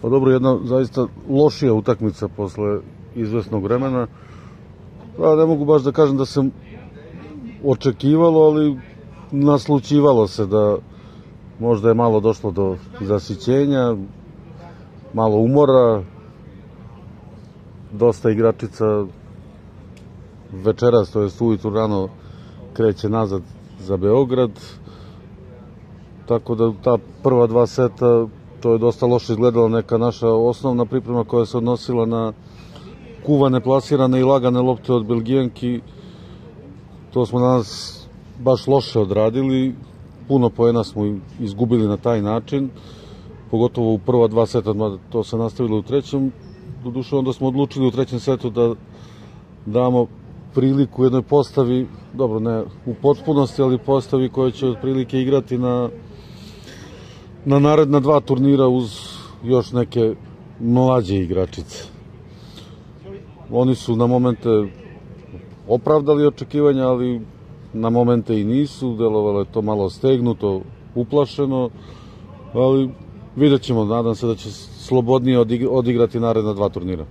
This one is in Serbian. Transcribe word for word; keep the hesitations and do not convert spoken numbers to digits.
Pa dobro, jedna zaista lošija utakmica posle izvesnog vremena. Pa ne mogu baš da kažem da se očekivalo, ali naslućivalo se da možda je malo došlo do zasićenja, malo umora, dosta igračica večeras, to jest ujutru rano, kreće nazad za Beograd, tako da ta prva dva seta to je dosta loše izgledala. Neka naša osnovna priprema koja se odnosila na kuvane, plasirane i lagane lopte od Belgijanki, to smo danas baš loše odradili. Puno poena smo izgubili na taj način, pogotovo u prva dva seta, to se nastavilo u trećem. Doduše, onda smo odlučili u trećem setu da damo priliku jednoj postavi, dobro, ne u potpunosti, ali postavi koja će otprilike igrati na, na naredna dva turnira uz još neke mlađe igračice. Oni su na momente opravdali očekivanja, ali na momente i nisu, delovalo je to malo stegnuto, uplašeno, ali vidjet ćemo, nadam se da će slobodnije odigrati naredna dva turnira.